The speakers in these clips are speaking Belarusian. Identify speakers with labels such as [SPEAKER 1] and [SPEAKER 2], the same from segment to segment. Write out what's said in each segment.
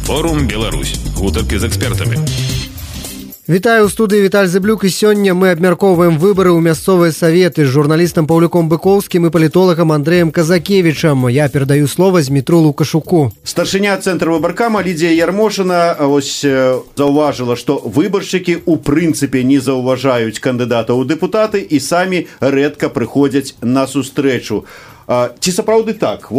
[SPEAKER 1] Форум Беларусь. Гутаркі з экспертамі.
[SPEAKER 2] Вітаю ў студыі Віталь Зыблюк, і сёння мы абмяркоўваем выбары ў мясцовыя саветы з журналістам Паўлюком Быкоўскім і палітолагам Андрэем Казакевічам. Я перадаю слова Змітру Лукашуку.
[SPEAKER 3] Старшыня цэнтра выбаркама Лідія Ярмошына заўважыла, што выбаршчыкі ў прынцыпе не заўважаюць кандыдата ў дэпутаты і самі рэдка прыходзяць на сустрэчу. Ці сапраўды так?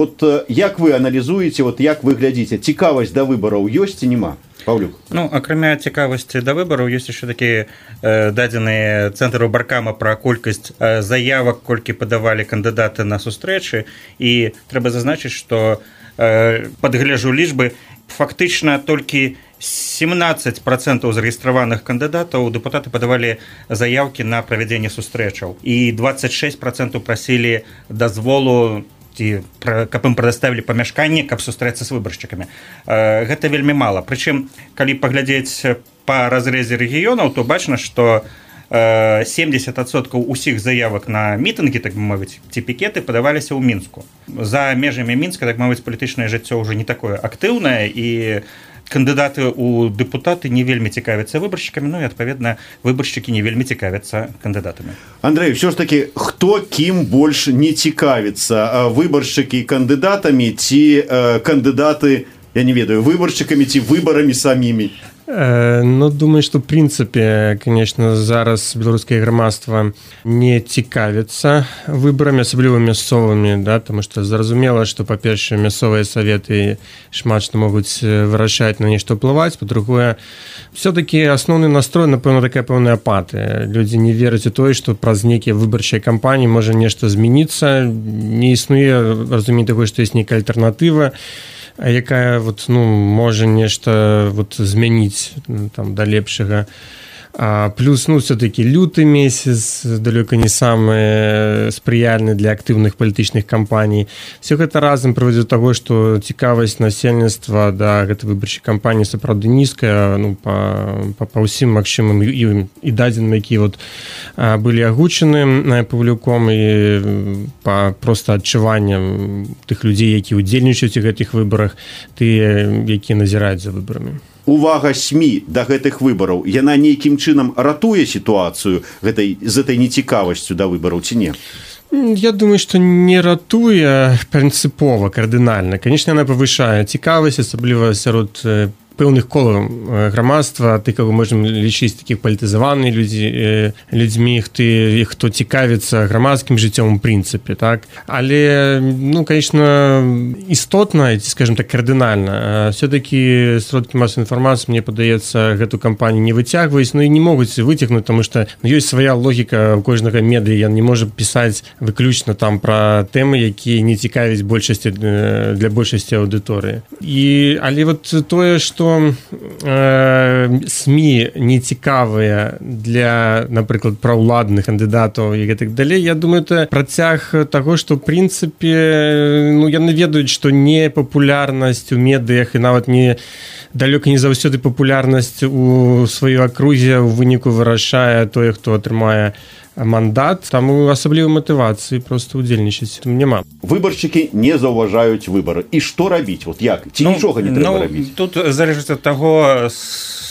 [SPEAKER 3] Як вы аналізуеце, як вы глядзіце, цікавасць да выбараў ёсць ці няма? Паўлюк.
[SPEAKER 4] Акрамя цікавасці да выбараў, ёсць яшчэ такія дадзеныя цэнтра выбаркама пра колькасць заявак, колькі падавалі кандыдаты на сустрэчы, і трэба зазначыць, што падгляджу лічбы, фактычна толькі 17% зарэгістраваных кандыдатаў дэпутаты падавалі заяўкі на правядзенне сустрэчаў, і 26% прасілі дазволу, каб ім прадаставілі памяшканне, каб сустрэцца з выбаршчыкамі. Гэта вельмі мала. Прычым, калі паглядзець па разрэзе рэгіёнаў, то бачна, што 70% усіх заявак на мітынгі, так бы мовіць, ці пікеты падаваліся ў Мінску. За межамі Мінска, так мовіць, палітычнае жыццё ўжо не такое актыўнае, і кандыдаты ў дэпутаты не вельмі цікавяцца выбаршчыкамі, і, адпаведна, выбаршчыкі не вельмі цікавяцца кандыдатамі.
[SPEAKER 3] Андрэй, ўсё ж такі, хто кім больш не цікавіцца? Выбаршчыкі кандыдатамі ці кандыдаты, я не ведаю, выбаршчыкамі ці выбарамі самімі?
[SPEAKER 5] Думаю, што, в прынцыпе, конечно, зараз беларускае грамадства не цікавіцца выбарамі, асабліва мясцовымі, таму што зразумела, што, па-першае, мясцовыя саветы шмат што могуць вырашаць, на нешта ўплываць, па-другое, все-таки асноўны настрой, напэўна, такая пэўная апатыя. Людзі не вераць у тое, што праз нейкія выбарчыя кампаніі можа нешта змяніцца, не існуе разуменне такое, што ёсць нейкая альтэрнатыва, якая можа нешта змяніць да лепшага. Плюс, все-таки люты месяц, далёка не самы спрыяльны для актыўных палітычных кампаній. Все гэта разам прыводзіць да таго, што цікавасць насельніцтва да гэтай выбарчай кампаніі сапраўды нізкая, па ўсім магчымым і дадзеным, якія былі агучаны Паўлюком, і па проста адчуванням тых людзей, якія ўдзельнічаюць у гэтых выбарах, тыя, якія назіраюць за выбарамі.
[SPEAKER 3] Увага СМІ да гэтых выбараў, яна нейкім чынам ратуе сітуацыю з этой нецікавасцю да выбараў ці не?
[SPEAKER 5] Я думаю, што не ратуе прынцыпова, кардынальна. Конечно, яна павышае цікавасць, асабліва сярод пэўных колаў грамадства, ты, каго можам лічыць такіх палітызаваных людзьмі, хто цікавіцца грамадскім жыццём у прынцыпе, так? Але, конечно, істотна, ці, скажем так, кардынальна. Все-таки сродкі масавай інфармацыі, мне падаецца, гэту кампанію не выцягваюць, і не могуць выцягнуць, таму што ёсць свая логіка ў кожнага медыа, ён не можа пісаць выключна там пра тэмы, якія не цікавяць для большасці аўдыторыі. Але тое, што СМІ не цікавыя для, напрыклад, праўладных кандыдатаў і гэтак далей, я думаю, это працяг таго, што, в прынцыпе, яны ведаюць, што не папулярнасць у медыях і нават далёка не заўсёды папулярнасць у сваёй акрузе у выніку вырашае тое, хто атрымае мандат, таму асаблівай матывацыі проста ўдзельнічаць няма.
[SPEAKER 3] Выбаршчыкі не заўважаюць выбары. І што рабіць? Як? Ці нічога не трэба рабіць?
[SPEAKER 4] Тут залежыць ад таго,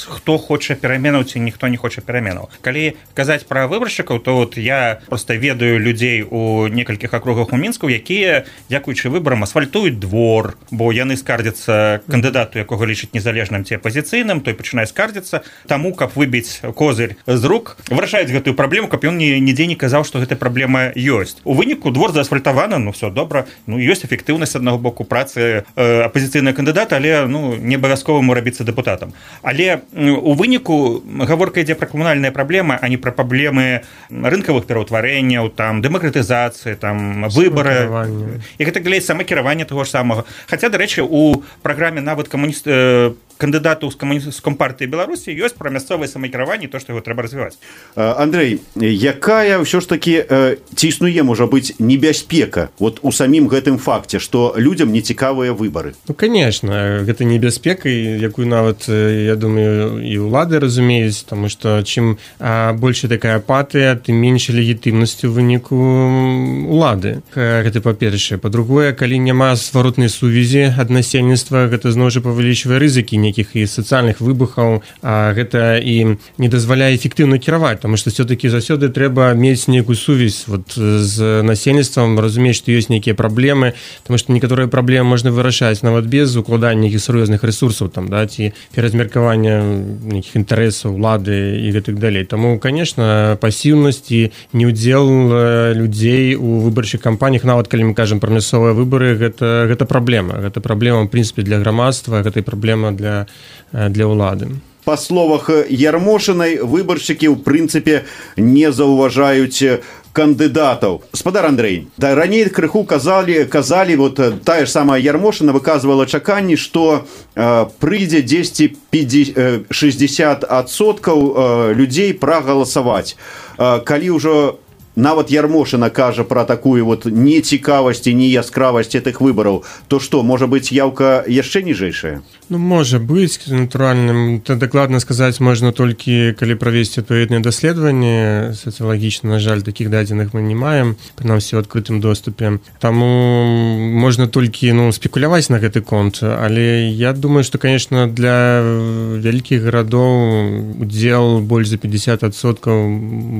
[SPEAKER 4] хто хоча пераменаў ці ніхто не хоча пераменаў. Калі казаць пра выбаршчыкаў, то я проста ведаю людзей у некалькіх акругах у Мінску, якія, дзякуючы выбарам, асфальтуюць двор, бо яны скардзяцца кандыдату, якога лічаць незалежным ці апазіцыйным, той пачынае скардзіцца, таму, каб выбіць козырь з рук, вырашаюць гэтую праблему, каб ён нідзе не казаў, што гэта праблема ёсць. У выніку двор заасфальтаваны, все добра, ёсць эфектыўнасць аднаго боку працы апазіцыйнага кандыдата, але не абавязкова ему рабіцца дэпутатам. Але у выніку гаворка ідзе пра камунальныя праблемы, а не пра праблемы рынкавых пераўтварэнняў, дэмакратызацыі, выбары і гэта далей самакіравання таго ж самага. Хаця, дарэчы, у праграме нават кандыдату з Компартыі Беларусі ёсць пра мясцовае самакіраванне, то, што яго трэба развіваць.
[SPEAKER 3] Андрэй, якая ўсё ж такі ці існуе, можа быць, небяспека у самім гэтым факце, што людзям не цікавыя выбары?
[SPEAKER 5] Конечно, гэта небяспека, якую нават, я думаю, і ўлады разумеюць, таму што чым больш такая апатыя, тым менш легітымнасць у выніку улады. Гэта па-першае. Па-другое, калі няма зваротнай сувязі ад насельніцтва, гэта зноў жа павялічвае рызыкі нейкіх і сацыяльных выбухаў, гэта і не дазваляе эфектыўна кіраваць, таму што все-таки заўсёды трэба мець нейкую сувязь вот з насельніцтвам, разумець, што ёсць нейкія праблемы, таму што некаторыя праблемы можна вырашаць нават без укладання нейкіх сур'ёзных ресурсаў там, да, ці перазмеркавання нейкіх інтарэсаў улады і гэтак далей. Таму, конечно, пасіўнасць і неўдзел людзей у выбарчых кампаніях, нават калі мы кажам пра мясцовыя выбары, гэта праблема. Гэта праблема, в прынцыпе, для грамадства, гэта і праблема для ўлады.
[SPEAKER 3] Па словах Ярмошынай, выбаршчыкі ў прынцыпе не заўважаюць кандыдатаў. Спадар Андрэй, раней крыху казалі, вот тая ж самая Ярмошына выказвала чаканні, што прыйдзе 60% людзей прагаласаваць. Калі ўжо нават Ярмошына кажа пра такую вот нецікавасць і неяскравасць гэтых выбараў, то што, можа быць, яўка яшчэ ніжэйшая?
[SPEAKER 5] Ну, можа быць, натуральным. Дакладна сказаць можна толькі, калі правесці адпаведныя даследаванні. Сацыялагічна, на жаль, такіх дадзеных мы не маем, прынамсі ў адкрытым доступе. Таму можна толькі спекуляваць на гэты конт, але я думаю, што, конечно, для вялікіх гарадоў удзел больш за 50%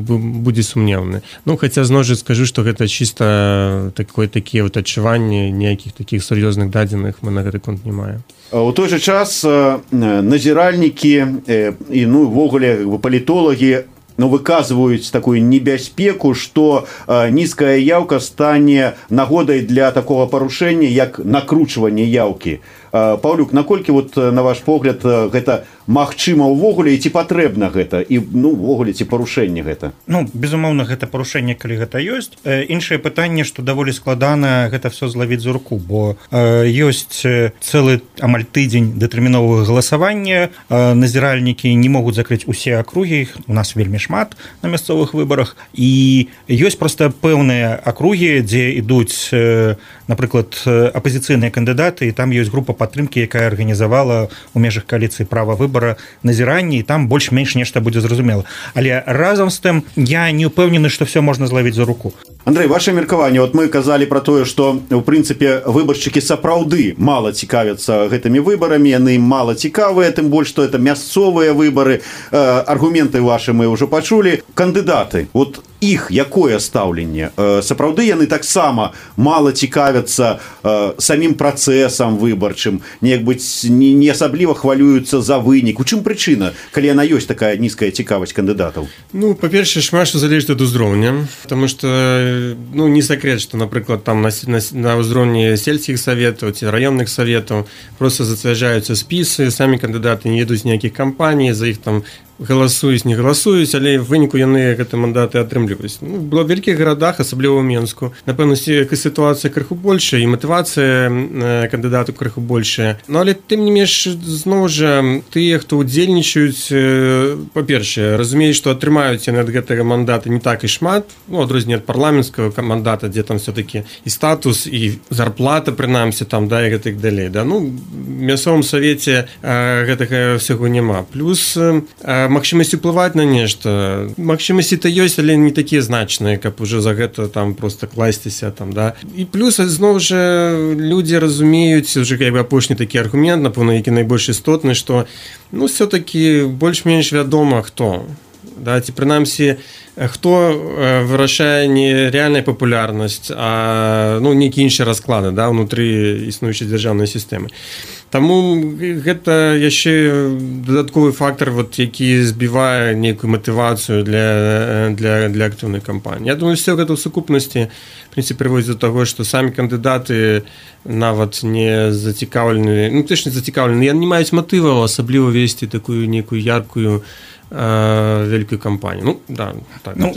[SPEAKER 5] будзе сумнеўны. Ну, хаця зноў жа скажу, што гэта чыста такія вот адчуванні, ніякіх такіх сур'ёзных дадзеных мы на гэты конт не маем.
[SPEAKER 3] У той же час назіральнікі і увогуле палітолагі выказваюць такую небяспеку, што нізкая яўка стане нагодай для такога парушэння, як накручванне яўкі. Паўлюк, наколькі, вот, на ваш погляд, гэта магчыма ўвогуле і ці патрэбна гэта, і ўвогуле ці парушэнне гэта?
[SPEAKER 4] Безумоўна, гэта парушэнне, калі гэта ёсць. Іншае пытанне, што даволі складана гэта все злавіць за руку, бо ёсць цэлы амаль тыдзень датэрміновага галасавання, назіральнікі не могуць закрыць усе акругі, у нас вельмі шмат на мясцовых выбарах, і ёсць проста пэўныя акругі, дзе ідуць, напрыклад, апазіцыйныя кандыдаты, і там ёсць група падтрымкі, якая арганізавала ў межах кааліцыі права выбара назіранне, і там больш-менш нешта будзе зразумела. Але разам з тым я не ўпэўнены, што все можна злавіць за руку.
[SPEAKER 3] Андрэй, ваше меркаванне, вот мы казалі пра тое, што у прынцыпе выбаршчыкі сапраўды мала цікавяцца гэтымі выбарамі, яны мала цікавыя, тым больш што это мясцовыя выбары. Аргументы вашы мы ўжо пачулі. Кандыдаты, вот іх якое стаўленне? Сапраўды яны таксама мала цікавяцца самім працэсам выбарчым, неяк быць не асабліва хвалююцца за вынік. У чым прычына, калі яна ёсць такая нізкая цікавасць кандыдатаў?
[SPEAKER 5] Па-першае, шмат што залежыць ад узроўня, таму што не сакрэт, што, напрыклад, там на ўзроўні сельскіх саветаў ці раённых саветаў проста зацвярджаюцца спісы, самі кандыдаты не едуць ніякіх кампаній, за іх там галасуюць, не галасуюць, але в выніку яны гэты мандаты атрымліваюць. Было ў вялікіх гарадах, асабліва ў Менску. Напэўна, сітуацыя крыху большая, і матывацыя кандыдату крыху большая. Але тым не менш, зноў жа, тыя, хто ўдзельнічаюць, па-першае, разумеюць, што атрымаюць яны ад гэтага мандата не так і шмат, адрозненне ад парламенцкага мандата, дзе там все-таки і статус, і зарплата, прынамсі, там, да, і гэтак далей. Да? В мясцовым савеце гэтага ўсяго няма. Плюс магчымасць уплываць на нешта. Магчымасці-то ёсць, але не такія значныя, каб уже за гэта там просто класціся там, да. І плюс зноў жа людзі разумеюць, уже як бы апошні такі аргумент, напэўна, які найбольш істотны, што все-таки больш-менш вядома хто. Да, ці прынамсі хто вырашае не рэальная папулярнасць, а нейкі іншы расклады, да, унутры існуючай дзяржаўнай сістэмы. Таму гэта яшчэ дадатковы фактор, які збівае нейкую матывацыю для актыўнай кампаніі. Я думаю, все гэта ў сукупнасці прыводзіць до таго, што самі кандыдаты нават не зацікаўлены, точно зацікаўлены, яны не маюць матываў асабліва весці такую нейкую яркую вялікую кампанію.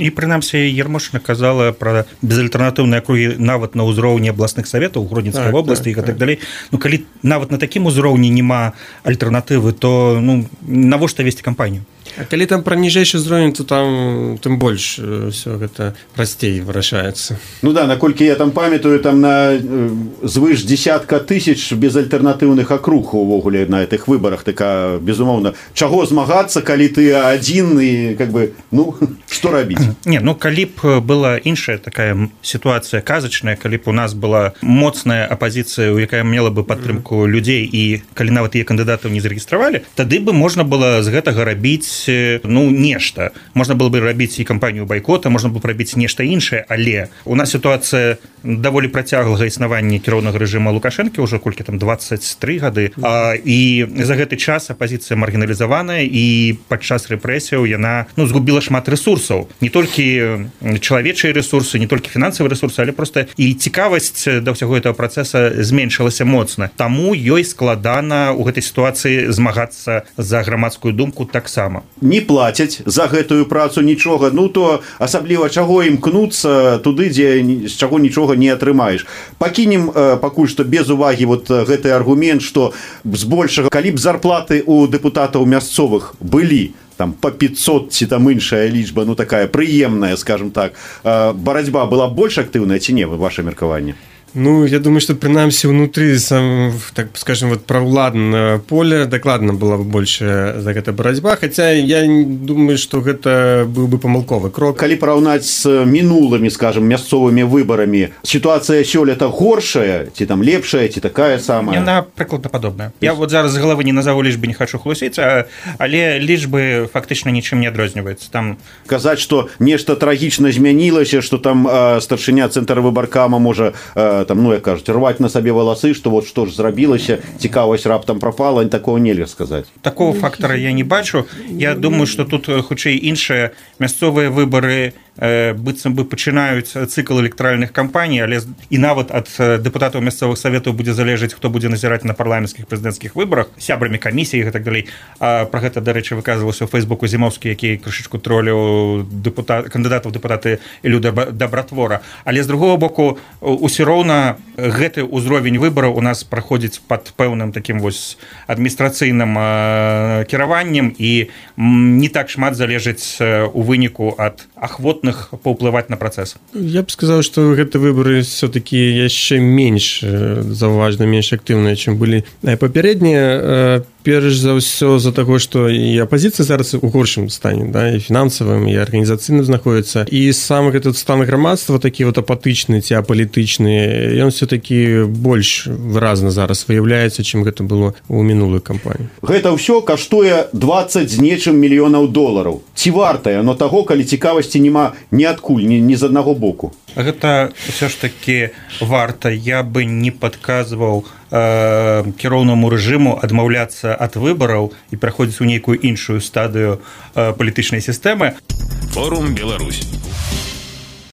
[SPEAKER 4] І прынамсі Ярмошына казала пра безальтэрнатыўныя акругі нават на ўзроўні абласных саветаў Гродзенскай вобласці і так далей. Калі нават на такім узроўні няма альтэрнатывы, то навошта весці кампанію?
[SPEAKER 5] А калі там пра ніжэйшы ўзровень, то там тым больш ўсё гэта прасцей вырашаецца.
[SPEAKER 3] Ну да, наколькі я там памятаю, там на звыш десятка тысяч безальтэрнатыўных акруг увогуле на гэтых выбарах, така, безумоўна, чаго змагацца, калі ты адзін і, как бы, ну, што рабіць?
[SPEAKER 4] Не, ну, калі б была іншая такая сітуацыя казачная, калі б у нас была моцная апазіцыя, якая мела бы падтрымку людзей, і калі нават тыя кандыдатаў не зарэгістравалі, тады бы можна было з гэтага рабіць, ну, нешта. Можна было бы рабіць і кампанію байкота, можна было б рабіць нешта іншае, але у нас сітуацыя даволі працяглага існавання кіроўнага рэжыма Лукашэнкі, ўжо колькі там 23 гады, і за гэты час апазіцыя маргіналізаваная, і падчас рэпрэсіяў яна, ну, згубіла шмат рэсурсаў. Не толькі чалавечыя рэсурсы, не толькі фінансавыя рэсурсы, але проста і цікавасць да ўсяго гэтага працэса зменшылася моцна. Таму ёй складана ў гэтай сітуацыі змагацца за грамадскую думку таксама.
[SPEAKER 3] Не плацяць за гэтую працу нічога, ну то асабліва чаго імкнуцца туды, дзе з чаго нічога не атрымаеш. Пакінем пакуль што без увагі вот гэты аргумент, што збольшага, калі б зарплаты у дэпутатаў мясцовых былі там по 500 ці там іншая лічба, ну такая прыемная, скажем так, барацьба была больш актыўная ці не, ваше меркаванне?
[SPEAKER 5] Ну, я думаю, что принамсі внутри, так скажем, вот правладного поля докладно была бы больше за гэта барацьба, хотя я думаю, что гэта был бы памылковы крок.
[SPEAKER 3] Калі параўнаць з мінулымі, скажем, мясцовымі выбарамі, сітуацыя сёлета горшая, ці там лепшая, ці такая самая?
[SPEAKER 4] Яна прыкладна падобная. Я вот зараз з галавы не назову лічбы, не хочу хлусіць, але лічбы фактычна нічым не адрозніваецца. Там
[SPEAKER 3] казаць, што нешта трагічна змянілася, што там старшыня цэнтрвыбаркама можа там, ну, як кажуць, рваць на сабе валасы, што вот што ж зрабілася, цікавасць раптам прапала, такого нельга сказаць.
[SPEAKER 4] Такого фактара я не бачу. Я думаю, што тут хутчэй іншыя мясцовыя выбары быццам бы пачынаюць цыкл электаральных кампаній, але і нават ад дэпутатаў мясцовых саветаў будзе залежаць, хто будзе назіраць на парламенцкіх прэзідэнцкіх выбарах, сябрамі камісій і так далей. Пра гэта, дарэчы, выказваўся ў Фейсбуку Зімоўскі, які крышачку троліў кандыдатаў дэпутаты Ілю Дабратвора. Але з другого боку, усё роўна гэты ўзровень выбараў у нас праходзіць пад пэўным такім вось адміністрацыйным кіраваннем, і не так шмат залежыць у выніку ад ахвотных паўплываць на працэс.
[SPEAKER 5] Я б сказаў, што гэты выбары все-таки яшчэ менш заўважна, менш актыўныя, чым былі папярэднія. Перш за ўсё за таго, што і апазіцыя зараз у горшым стане, да, і фінансавым, і арганізацыйным знаходіцца, і сам гэты стан грамадства такі вот апатычны ці апалітычны, ён все-таки больш выразна зараз выяўляецца, чым гэта было ў мінулую кампанію.
[SPEAKER 3] Гэта ўсё каштуе 20 з нечым мільёнаў долараў. Ці вартае оно таго, калі цікавасці няма ніадкуль, ні з аднаго боку?
[SPEAKER 4] Гэта ўсё ж такі варта. Я бы не падказваў кіроўнаму рэжыму адмаўляцца ад выбараў і праходзіць у нейкую іншую стадыю палітычнай сістэмы.
[SPEAKER 1] Форум Беларусь.